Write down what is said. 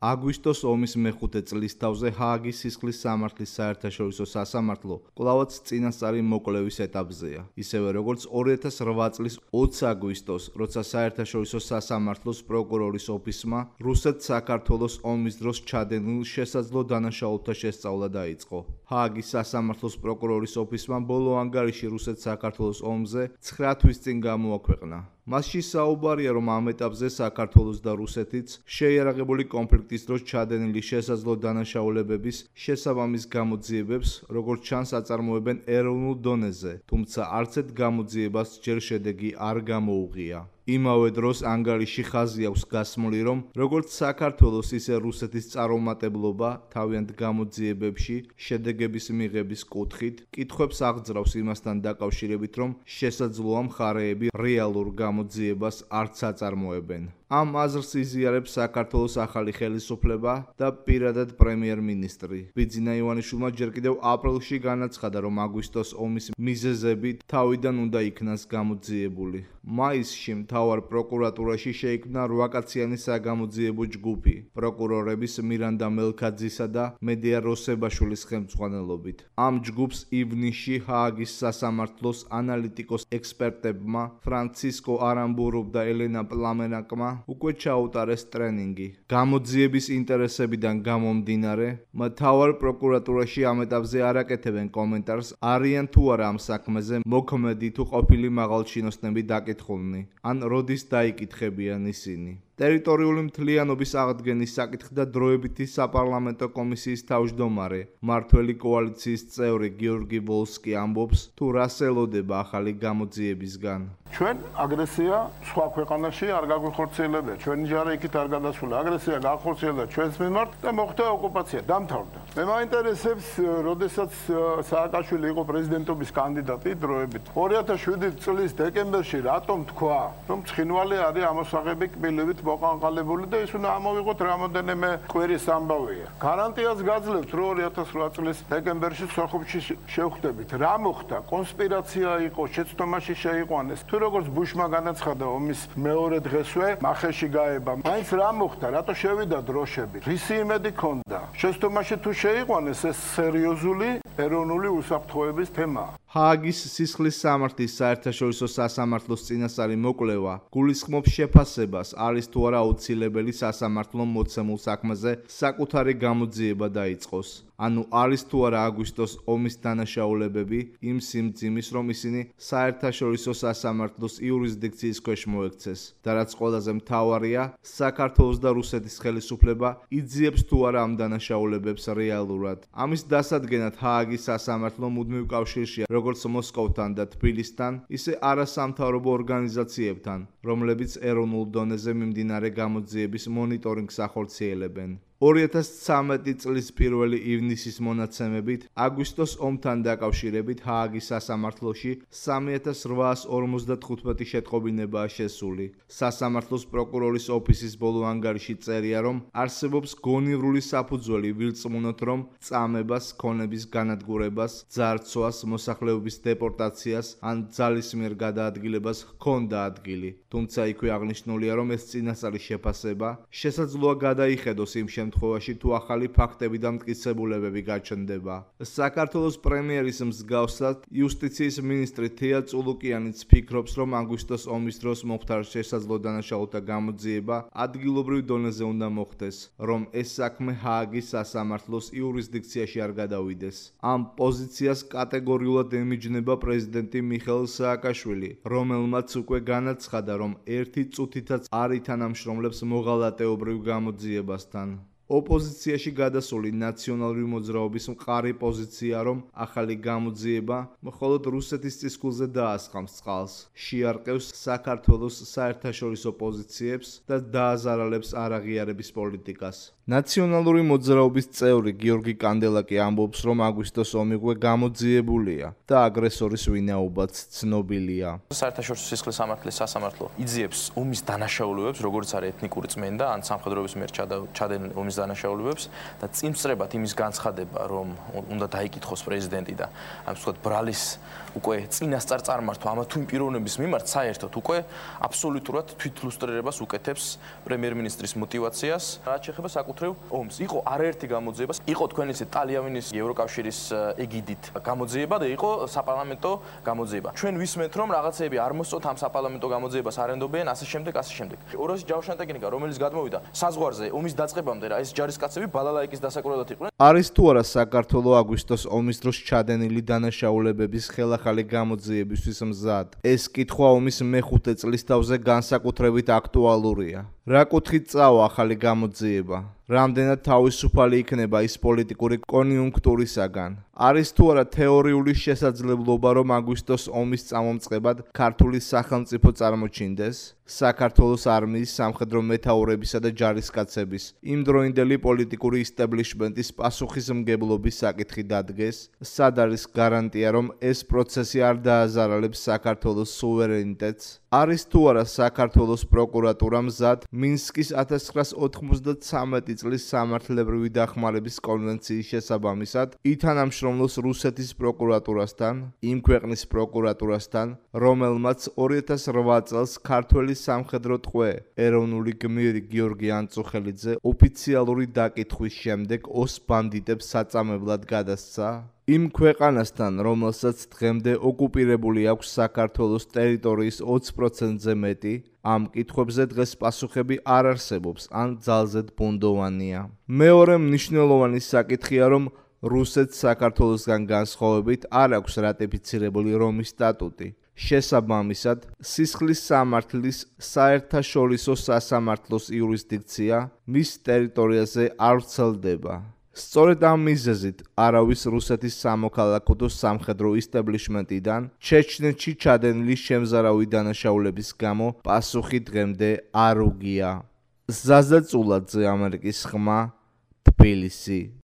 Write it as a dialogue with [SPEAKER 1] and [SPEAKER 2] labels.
[SPEAKER 1] აგვისტოს ომის მეხუთე წლისთავზე ჰააგის სისხლის სამართლის საერთაშორისო სასამართლო კვლავაც წინასწარი მოკვლევის ეტაპზეა. ისევე როგორც 2008 წლის 20 აგვისტოს, როცა საერთაშორისო სასამართლოს პროკურორის ოფისმა რუსეთ-საქართველოს ომის დროს ჩადენილ შესაძლო დანაშაულთა შესწავლა დაიწყო. ჰააგის სასამართლოს პროკურორის ოფისმა ბოლო ანგარიში რუსეთ-საქართველოს ომზე 9 თვის წინ გამოაქვეყნა. მასში საუბარია, რომ ამ ეტაპზე საქართველოს და რუსეთიც შეიარაღებული კონფლიქტის დროს ჩადენილი შესაძლო დანაშაულებების შესაბამის გამოძიებებს, როგორც ჩანს, აწარმოებენ ეროვნულ დონეზე, თუმცა არცეთ გამოძიებას ჯერ შედეგი არ გამოუღია. იმავე დროს ანგარიში ხაზი აქვს გასმული, რომ როგორც საქართველოს, ისე რუსეთის წარუმატებლობა თავიანთ გამოძიებებში შედეგების მიღების კუთხით კითხვებს აღძრავს იმასთან დაკავშირებით, რომ შესაძლოა მხარეები რეალურ გამოძიებას არც აწარმოებენ. ამ აზრს იზიარებს საქართველოს ახალი ხელისუფლება და პირადად პრემიერ-მინისტრი. ბიძინა ივანიშვილმა ჯერ კიდევ აპრილში განაცხადა, რომ აგვისტოს ომის მიზეზები თავიდან უნდა იქნას გამოძიებული. მაისში მთავარ პროკურატურაში შეიქმნა 8 კაციანი საგამოძიებო ჯგუფი, პროკურორების მირანდა მელქაძისა და მედია როსებაშვილის ხელმძღვანელობით. ამ ჯგუფს ივნისში ჰააგის სასამართლოს ანალიტიკოს ექსპერტებმა ფრანცისკო არამბუროვ და ელენა პლამენაკმა უკვე ჩაუტარეს ტრენინგი. გამოძიების ინტერესებიდან გამომდინარე, მთავარ პროკურატურაში ამ ეტაპზე არ აკეთებენ კომენტარს, არიან თუ არა ამ საქმეზე მოქმედი თუ ყოფილი მაღალჩინოსნები დაკითხულნი, ან როდის დაიკითხებიან ისინი. ტერიტორიული მთლიანობის აღდგენის საკითხი და დროებითი საპარლამენტო კომისიის თავმჯდომარე, მმართველი კოალიციის წევრი გიორგი ვოლსკი ამბობს, თუ რას ელოდება ახალი გამოძიებისგან.
[SPEAKER 2] ჩვენ აგრესია სხვა ქვეყანაში არ გაგვიხორციელებია, ჩვენი ჯარი იქით არ გადასულა, აგრესია გაახორციელა ჩვენს მიმართ და მოხდა ოკუპაცია, დამთავრდა. მე მაინტერესებს, როდესაც სააკაშვილი იყო პრეზიდენტობის კანდიდატი დროებით, 2007 წლის დეკემბერში რატომ თქვა, რომ ცხინვალი არის ამოსაღები კბილებით მოყანყალებული და ის უნდა ამოვიღოთ რამოდენიმე კვირის ამბავია. გარანტიას გაძლევთ, რომ 2008 წლის დეკემბერში სოხუმში შევხვდებით. რა მოხდა? კონსპირაცია იყო, შეცდომაში შეიყვანეს. თუ როგორც ბუშმა განაცხადა ომის მეორე დღესვე მახეში გაება. მაინც რა მოხდა? რატო შევიდა დროშები? რისი იმედი ქონდა? შეცდომაში თუ შეიყვანეს, ეს სერიოზული ეროვნული უსაფრთხოების თემაა.
[SPEAKER 1] ჰააგის სისხლის სამართლის საერთაშორისო სასამართლოს წინასწარი მოკვლევა გულისხმობს შეფასებას, არის თუ არა აუცილებელი სასამართლომ მოცემულ საქმეზე საკუთარი გამოძიება დაიწყოს. ანუ არის თუ არა აგვისტოს ომის დანაშაულებები იმ სიმძიმის, რომ ისინი საერთაშორისო სასამართლოს იურისდიქციის ქვეშ მოექცეს. და რაც ყველაზე მთავარია, საქართველოს და რუსეთის ხელისუფლება იძიებს თუ არა ამ დანაშაულებებს რეალურად. ამის დასადგენად ჰააგის სასამართლო მუდმივ კავშირშია როგორც მოსკოვთან და თბილისთან, ისე არასამთავრობო ორგანიზაციებთან, რომლებიც ეროვნულ დონეზე მიმდინარე გამოძიების მონიტორინგს ახორციელებენ. 2013 წლის 1 ივნისის მონაცემებით, აგვისტოს ომთან დაკავშირებით ჰააგის სასამართლოში 3855 შეტყობინებაა შესული. სასამართლოს პროკურორის ოფისის ბოლო ანგარიში წერია, რომ არსებობს გონივრული საფუძველი ვირწმუნოთ, რომ წამებას, ქონების განადგურებას, ძარცვას, მოსახლეობის დეპორტაციას ან ძალისმიერ გადაადგილებას ჰქონდა ადგილი. თუმცა იქვე აღნიშნულია, რომ ეს წინასწარი შეფასება შესაძლოა გადაიხედოს იმ შემთხვევაში, თუ ახალი ფაქტები და მტკიცებულებები გაჩნდება. საქართველოს პრემიერის მსგავსად, იუსტიციის მინისტრი თეა წულუკიანიც ფიქრობს, რომ აგვისტოს ომის დროს მომხდარ შესაძლო დანაშაულთა გამოძიება ადგილობრივ დონეზე უნდა მოხდეს, რომ ეს საქმე ჰააგის სასამართლოს იურისდიქციაში არ გადავიდეს. ამ პოზიციას კატეგორიულად ემიჯნება პრეზიდენტი მიხეილ სააკაშვილი, რომელმაც უკვე განაცხადა, რომ ერთი წუთითაც არ ითანამშრომლებს მოღალატეობრივ გამოძიებასთან. ოპოზიციაში გადასული ნაციონალური მოძრაობის მყარი პოზიცია, რომ ახალი გამოძიება მხოლოდ რუსეთის წისქვილზე დაასხამს წყალს, შეარყევს საქართველოს საერთაშორისო პოზიციებს და დააზარალებს არაღიარების პოლიტიკას. ნაციონალური მოძრაობის წევრი გიორგი კანდელაკი ამბობს, რომ აგვისტოს ომი უკვე გამოძიებულია და აგრესორის ვინაობაც ცნობილია.
[SPEAKER 3] საერთაშორისო სისხლის სამართლის სასამართლო იძიებს ომის დანაშაულებებს, როგორც არის ეთნიკური წმენდა ან სამხედროების მიერ ჩადენილი ომის რომის დანაშაულებებს და წინსწრებად იმის განცხადება, რომ უნდა დაიკითხოს პრეზიდენტი და ამ ვთქვათ ბრალის უკვე წინასწარ წარმართვა ამა თუ იმ პიროვნების მიმართ საერთოდ უკვე აბსოლუტურად თვითლუსტრირებას უკეთებს პრემიერ-მინისტრის мотиваციას, რაც შეეხება საკუთრივ ომს. იყო არაერთი გამოძიება, იყო თქვენ ისე ტალიანის ევროკავშირის ეგიდით გამოძიება და იყო საპარლამენტო გამოძიება. ჩვენ ვისმენთ რომ რაღაცეები არ მოსწოთ ამ საპარლამენტო გამოძიებას არენდობენ ასე შემდეგ. 200 ჯავშანი ტექნიკა რომელიც გადმოვიდა საზღვარზე ომის დაწყებამდე რა ეს ჯარისკაცები ბალალაიკის დასაკურებლად იყვნენ.
[SPEAKER 1] არის თუ არა საქართველოს აგვისტოს ომის დროს ჩადენილი დანაშაულებების ხელახალი გამოძიებისთვის მზად? ეს კითხვა ომის მეხუთე წლის თავზე განსაკუთრებით აქტუალურია. რა კუთხით წავა ახალი გამოძიება? რამდენად თავისუფალი იქნება ის პოლიტიკური კონიუნქტურისაგან? არის თუ არა თეორიული შესაძლებლობა, რომ აგვისტოს ომის წამომწყებად ქართული სახელმწიფო წარმოჩინდეს? საქართველოს არმიის, სამხედრო მეთაურებისა და ჯარისკაცების იმდროინდელი პოლიტიკური ისტაბლიშმენტის პასუხისმგებლობის საკითხი დადგეს? სად არის გარანტია, რომ ეს პროცესი არ დააზარალებს საქართველოს სუვერენიტეტს? არის თუ არა საქართველოს პროკურატურა მზად მინსკის 1993 წლის სამართლებრივი დახმარების კონვენციის შესაბამისად ითანამშრომლოს რუსეთის პროკურატურასთან, იმ ქვეყნის პროკურატურასთან, რომელმაც 2008 წელს ქართველი სამხედრო ტყვე ეროვნული გმირი გიორგი ანწუხელიძე ოფიციალური დაკითხვის შემდეგ ოს ბანდიტებს საწამებლად გადასცა? იმ ქვეყანასთან, რომელსაც დღემდე ოკუპირებული აქვს საქართველოს ტერიტორიის 20%-ზე მეტი, ამ კითხვებზე დღეს პასუხები არ არსებობს ან ძალზედ ბუნდოვანია. მეორე მნიშვნელოვანი საკითხია, რომ რუსეთს საქართველოსგან განსხვავებით არ აქვს რატიფიცირებული რომის სტატუტი. შესაბამისად, სისხლის სამართლის საერთაშორისო სასამართლოს იურისდიქცია მის ტერიტორიაზე არ ვრცელდება. სწორედ ამ მიზეზით არავის რუსეთის სამოქალაქო და სამხედრო ისტაბლიშმენტიდან ჩეჩნეთში ჩადენილი შემზარავი დანაშაულების გამო პასუხი დღემდე არ უგია. ზაზა წულაძე, ამერიკის ხმა, თბილისი.